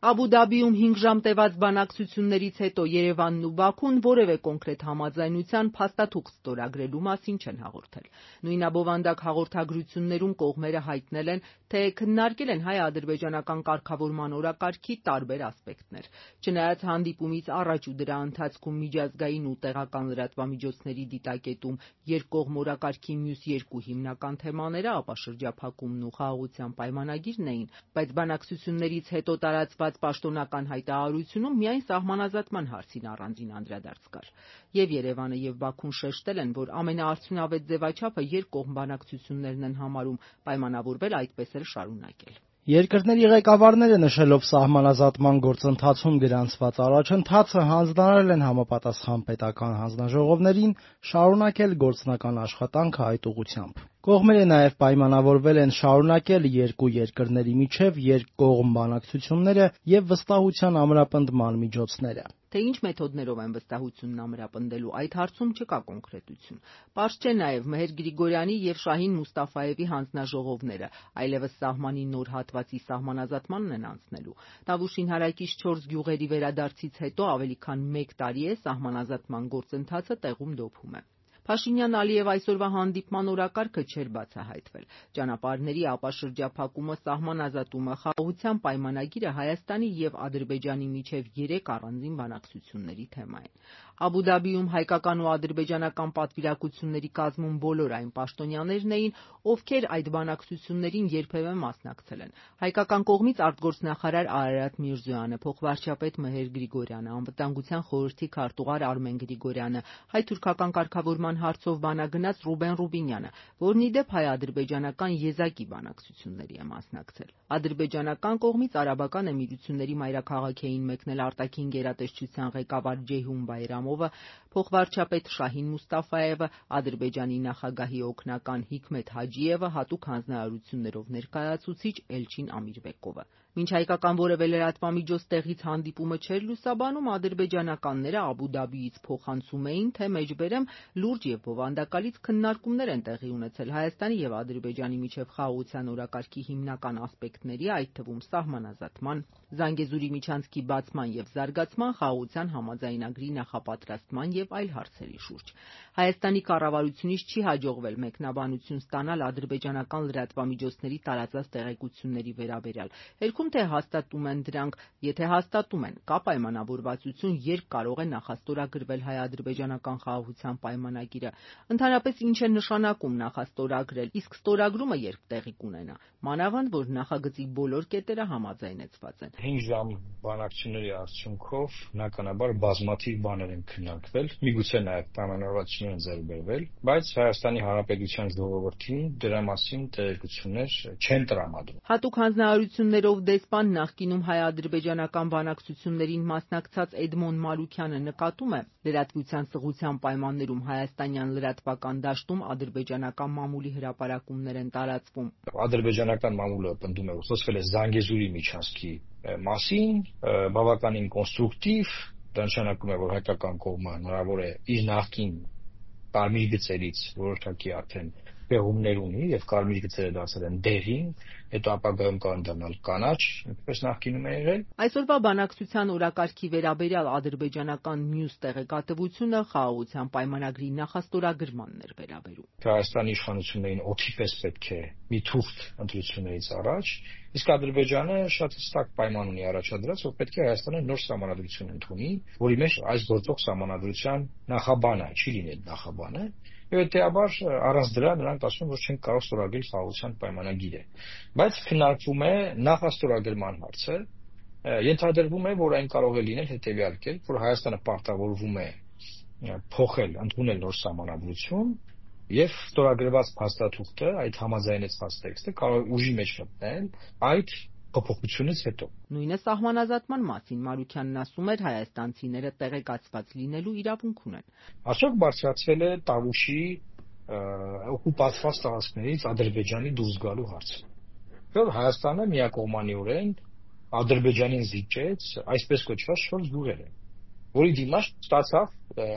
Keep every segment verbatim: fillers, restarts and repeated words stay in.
Աբու Դաբիում հինգ ժամ տևած բանակցություններից հետո Երևանն ու Բաքուն որևէ կոնկրետ համաձայնության փաստաթուղթ ստորագրելու մասին չեն հաղորդել։ Նույն abովանդակ հաղորդագրություններում կողմերը հայտնել են, թե քննարկել են հայ-ադրբեջանական կարգավորման օրակարգի տարբեր ասպեկտներ։ Չնայած հանդիպումից առաջ ու դրա ընթացքում միջազգային ու տեղական լրատվամիջոցների դիտակետում երկկողմ օրակարգի մյուս երկու հիմնական թեմաները, ապա շրջափակումն ու խաղաղության պայմանագիրն էին, բայց բանակցություններից հետո տարածված պաշտոնական հայտարարությունում միայն սահմանազատման հարցին առանձին անդրադարձ կար։ Եվ Երևանը և Բաքուն շեշտել են, որ ամենաարդյունավետ ձևաչափը երկկողմ բանակցություններն են համարում, պայմանավորվել այդպես էլ շարունակել։ Երկրների ղեկավարները նշելով սահմանազատման գործընթացում գրանցված առաջընթացը հանձնարարել են համապատասխան պետական հանձնաժողովներին շարունակել գործնական աշխատանքը այդ ուղղությամբ։ Կողմերը նաև պայմանավորվել են շարունակել երկու երկրների միջև երկկողմ բանակցությունները և վստահության ամրապնդման միջոցները։ Թե ինչ մեթոդներով են վստահությունն ամրապնդելու, այդ հարցում չկա կոնկրետություն։ Պարզ չէ նաև Մեհեր Գրիգորյանի և Շահին Մուստաֆաևի հանձնաժողովները այլևս սահմանի նոր հատվածի սահմանազատմանն են անցնելու։ Տավուշին հարակից չորս գյուղերի վերադարձից հետո ավելի քան մեկ տարի է սահմանազատման գործընթացը տեղում դոփում է։ Փաշինյան-Ալիև այսօրվա հանդիպման օրակարգը չէր բացահայտվել։ Ճանապարհների ապաշրջափակումը, սահմանազատումը, խաղաղության պայմանագիրը Հայաստանի և Ադրբեջանի միջև երեք առանձին բանակցությունների թեմա են։ Աբու Դաբիում հայկական ու ադրբեջանական պատվիրակությունների կազմում բոլոր այն պաշտոնյաներն էին, ովքեր այդ բանակցություններին երբևէ մասնակցել են։ Հայկական կողմից արտգործնախարար Արարատ Միրզոյանը, փոխվարչապետ Մեհեր Գրիգորյանը, անվտանգության խորհրդի քարտուղար Արմեն Գրիգորյանը, հայ-թուրքական կարգավորման հարցով բանագնաց Ռուբեն Ռուբինյանը, որն ի դեպ հայ-ադրբեջանական եզակի բանակցությունների է մասնակցել։ Ադրբեջանական կողմից Արաբական Էմիրությունների մայրաքաղաք էին մեկնել արտաքին գերատեսչության ղեկավար Ջեյհուն Բայրամովը, փոխվարչապետ Շահին Մուստաֆաևը, Ադրբեջանի նախագահի օգնական Հիքմեթ Հաջիևը, հատուկ հանձնարարություններով ներկայացուցիչ Էլչին Ամիրբեկովը։ Մինչ հայկական որևէ լրատվամիջոց տեղից հանդիպումը չէր լուսաբանում, ադրբեջանականները Աբու Դաբիից փոխանցում էին, թե մեջբերեմ լուրջ և բովանդակալից քննարկումներ են տեղի ունեցել Հայաստանի և Ադրբեջանի միջև խաղաղության օրակարգի հիմնական ասպեկտների, այդ թվում սահմանազատման, Զանգեզուրի միջանցքի բացման և զարգացման, խաղաղության համաձայնագրի նախապատրաստման և այլ հարցերի շուրջ։ Հայաստանի կառավարությունից չի հաջողվել մեկնաբանություն ստանալ ադրբեջանական լրատվամիջոցների տարածած տեղեկությունների վերաբերյալ։ Հերքում թե հաստատում են դրանք, եթե հաստատում են, կա պայմանավորվածություն, երբ կարող է նախաստորագրվել հայ-ադրբեջանական խաղաղության պայմանագիրը, ընդհանրապես ինչ է նշանակում նախաստորագրել, իսկ ստորագրումը երբ տեղի կունենա, մանավանդ որ նախագծի բոլոր կետերը համաձայնեցված են։ Հինգ ժամ բանակցությունների արդյունքով բնականաբար բազմաթիվ բաներ են քննարկվել, միգուցե նաև պայմանավորվածություններ են ձեռք բերվել, բայց Հայաստանի Հանրապետության ժողովրդին դրա մասին տեղեկություններ չեն տրամադրում։ Հատուկ հանձնարարություններով դեսպան, նախկինում հայ-ադրբեջանական բանակցություններին մասնակցած Էդմոն Մարուքյանը նկատում է, լրատվության սղության պայմաններում հայաստանյան լրատվական դաշտում ադրբեջանական մամուլի հրապարակումներ են տարածվում։ Ադրբեջանական մամուլը պնդում է, որ խոսվել է Զանգեզուրի միջանցքի մասին, բավականին կոնստրուկտիվ, դա նշանակում է, որ հայկական կողմը հնարավոր է իր նախկին կարմիր գծերից որոշակի արդեն պեղումներ ունի եւ կարմիր գծերը դարձել են դեղին, հետո ապագայում կարող դառնալ կանաչ, ինչպես նախկինում է եղել։ Այսօրվա բանակցության օրակարգի վերաբերյալ ադրբեջանական մյուս տեղեկատվությունը խաղաղության պայմանագրի նախաստորագրմանն էր վերաբերում։ Հայաստանի իշխանություններին օդի պես պետք է մի թուղթ ընտրություններից առաջ, իսկ Ադրբեջանը շատ հստակ պայման ունի առաջադրած, որ պետք է Հայաստանը նոր սահմանադրություն ընդունի, որի մեջ այս գործող սահմանադրության նախաբանը չի լինել նախաբանը, եւ հետեւաբար առանց դրա նրանք ասում որ չեն կարող ստորագրել խաղաղության պայմանագիրը։ Բայց քննարկվում է նախաստորագրման հարցը, ենթադրվում է, որ այն կարող է լինել հետեւյալ կերպ, որ Հայաստանը պարտավորվում է փոխել, ընդունել նոր սահմանադրություն եւ ստորագրված փաստաթուղթը, այդ համաձայնեցված տեքստը կարող է ուժի մեջ մտնել այդ փոփոխությունից հետո։ Նույնը սահմանազատման մասին Մարուքյանն ասում էր, հայաստանցիները տեղեկացված լինելու իրավունք ունեն։ Արդյոք բարձրացել է Տավուշի օկուպացված տարածքներից Ադրբեջանի դուրս գալու հարցը։ Որ Հայաստանը միակողմանիորեն Ադրբեջանին զիջեց այսպես կոչված շորջ գյուղերը, որի դիմաց ստացավ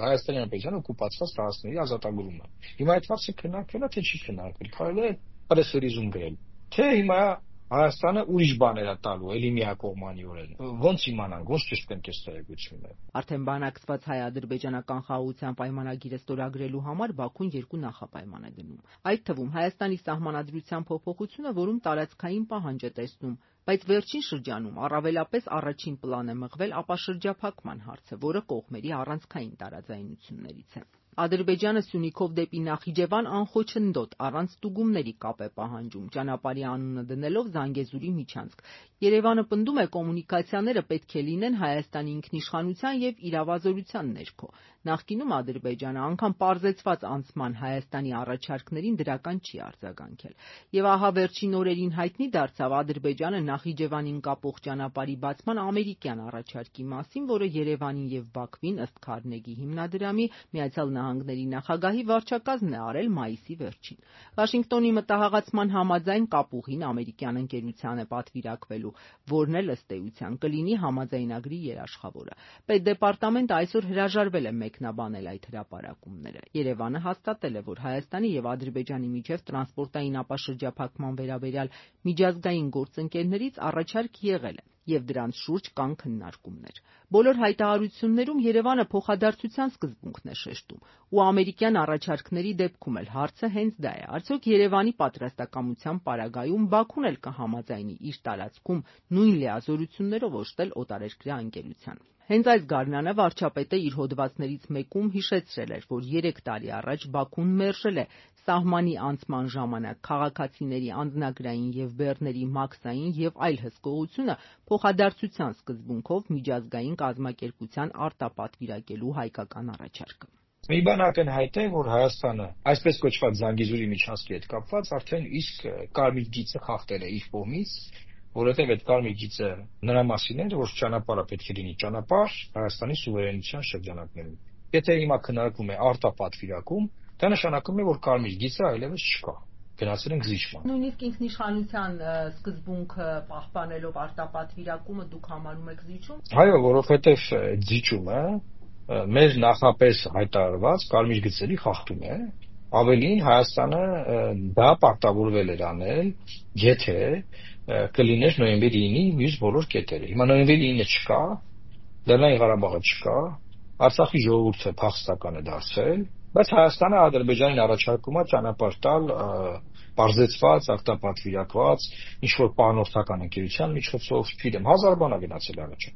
Հայաստանի Հանրապետության օկուպացված տարածքների ազատագրումը։ Հիմա այդ հարցը քննարկվել է, թե չի քննարկվել, կարելի է պրեսերիզում գրել, թե հիմա Հայաստանը ուրիշ բաներ է տալու, էլի միակողմանիորեն։ Ոնց իմանանք, ոնց ճշտենք այս տեղեկությունները։ Արդեն բանակցված հայ-ադրբեջանական խաղաղության պայմանագիրը ստորագրելու համար Բաքուն երկու նախապայման է դնում։ Այդ թվում Հայաստանի սահմանադրության փոփոխությունը, որում տարածքային պահանջ է տեսնում, բայց վերջին շրջանում առավելապես առաջին պլան է մղվել ապաշրջափակման հարցը, որը կողմերի առանցքային տարաձայնություններից է։ Ադրբեջանը Սյունիքով դեպի Նախիջևան անխոչնդոտ առանց ստուգումների կապ է պահանջում, ճանապարհի անունը դնելով Զանգեզուրի միջանցք։ Երևանը պնդում է, կոմունիկացիաները պետք է լինեն Հայաստանի ինքնիշխանության եւ իրավազորության ներքո։ Նախկինում Ադրբեջանը անգամ պարզեցված անցման Հայաստանի առաջարկներին դրական չի արձագանքել։ Եվ ահա վերջին օրերին հայտնի դարձավ Ադրբեջանը Նախիջևանին կապող ճանապարհի բացման ամերիկյան առաջարկի մասին, որը Երևանին եւ Բաքվին ըստ Քարնեգի հիմնադրամի Միացյալ Նահանգների նախագահի վարչակազմն է արել մայիսի վերջին։ Վաշինգտոնի մտահղացման համաձայն կապուղին ամերիկյան ընկերության է պատվիրակվելու, որն էլ ըստ էության կլինի համաձայնագրի երաշխավորը։ Պետդեպարտամենտը այսօր հրաժարվել է մեկնաբանել այդ հրապարակումները։ Երևանը հաստատել է, որ Հայաստանի եւ Ադրբեջանի միջև տրանսպորտային ապաշրջափակման վերաբերյալ միջազգային գործընկերներից առաջարկ եղել է, եւ դրանց շուրջ կան քննարկումներ։ Բոլոր հայտարարություններում Երևանը փոխադարձության սկզբունքն է շեշտում, ու ամերիկյան առաջարկների դեպքում էլ հարցը հենց դա է. արդյոք Երևանի պատրաստակամության պարագայում Բաքուն էլ կհամաձայնի իր տարածքում նույն լիազորություններով օժտել օտարերկրյա ընկերության։ Հենց այս գարնանը վարչապետը իր հոդվածներից մեկում հիշեցրել էր, որ երեք տարի առաջ Բաքուն մերժել է սահմանի անցման ժամանակ քաղաքացիների անձնագրային եւ բեռների մաքսային եւ այլ հսկողությունը փոխադարձության սկզբունքով միջազգային կազմակերպության արտապատվիրակելու հայկական առաջարկը։ Մի բան ակնհայտ է, որ Հայաստանը այսպես կոչված Զանգեզուրի միջանցքի հետ կապված արդեն իսկ կարմիր գիծը խախտել է իր կողմից, որովհետև այդ կարմիր գիծը նրա մասին է, որ ճանապարհը պետք է լինի ճանապարհ Հայաստանի սուվերենության շրջանակներում։ Եթե հիմա քննարկվում է արտապատվիրակում, դա նշանակում է, որ կարմիր գիծը այլևս չկա։ Գնացել ենք զիջման։ Նույնիսկ ինքնիշխանության սկզբունքը պահպանելով արտապատվիրակումը դուք համարում եք զիջում։ Այո, որովհետև զիջումը մեր նախապես հայտարարված կարմիր գծերի խախտում է։ Ավելին Հայաստանը դա պարտավորվել էր անել, եթե կլիներ նոյեմբերի ինի մյուս բոլոր կետերը։ Հիմա նոյեմբերի ինը չկա, Լեռնային Ղարաբաղը չկա, Արցախի ժողովուրդը փախստական է դարձել, բայց Հայաստանը Ադրբեջանին առաջարկում է ճանապարհ տալ պարզեցված, արտապատվիրակված, ինչ-որ պահնորդական ընկերության միջոցով, չգիտեմ, հազար բան է գնացել առաջ։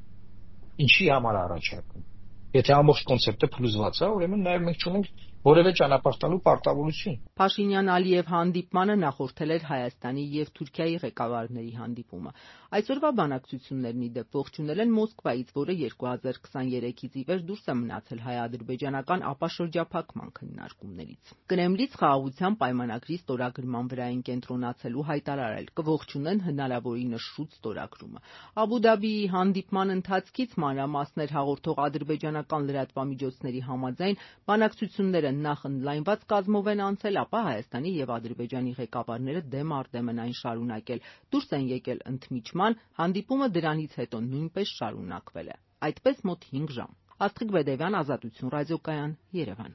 Ինչի համար առաջարկում։ Եթե ամբողջ կոնցեպտը փլուզված է, ուրեմն նաև մենք չունենք որևէ ճանապարհ տալու պարտավորություն։ Փաշինյան-Ալիև հանդիպմանը նախորդել էր Հայաստանի եւ Թուրքիայի ղեկավարների հանդիպումը։ Այսօրվա բանակցություններն ի դեպ ողջունել են Մոսկվայից, որը երկու հազար քսաներեքից ի վեր դուրս է մնացել հայ-ադրբեջանական ապաշրջափակման քննարկումներից։ Կրեմլից խաղաղության պայմանագրի ստորագրման վրա են կենտրոնացելու հայտարարել, կողջունեն հնարավորինս շուտ ստորագրումը։ Աբու Դաբիի հանդիպման ընթացքից մանրամասներ հաղորդող ադրբեջանական լրատվամիջոցների համաձայն բանակցությունները նախ ընդլայնված կազմով են անցել, ապա Հայաստանի եւ Ադրբեջանի ղեկավարները դեմ առ դեմ են այն շարունակել, դուրս են եկել ընդմիջման, հանդիպումը դրանից հետո նույնպես շարունակվել է։ Այդպես մոտ հինգ ժամ։ Աստղիկ Բեդևյան, Ազատություն ռադիոկայան, Երևան։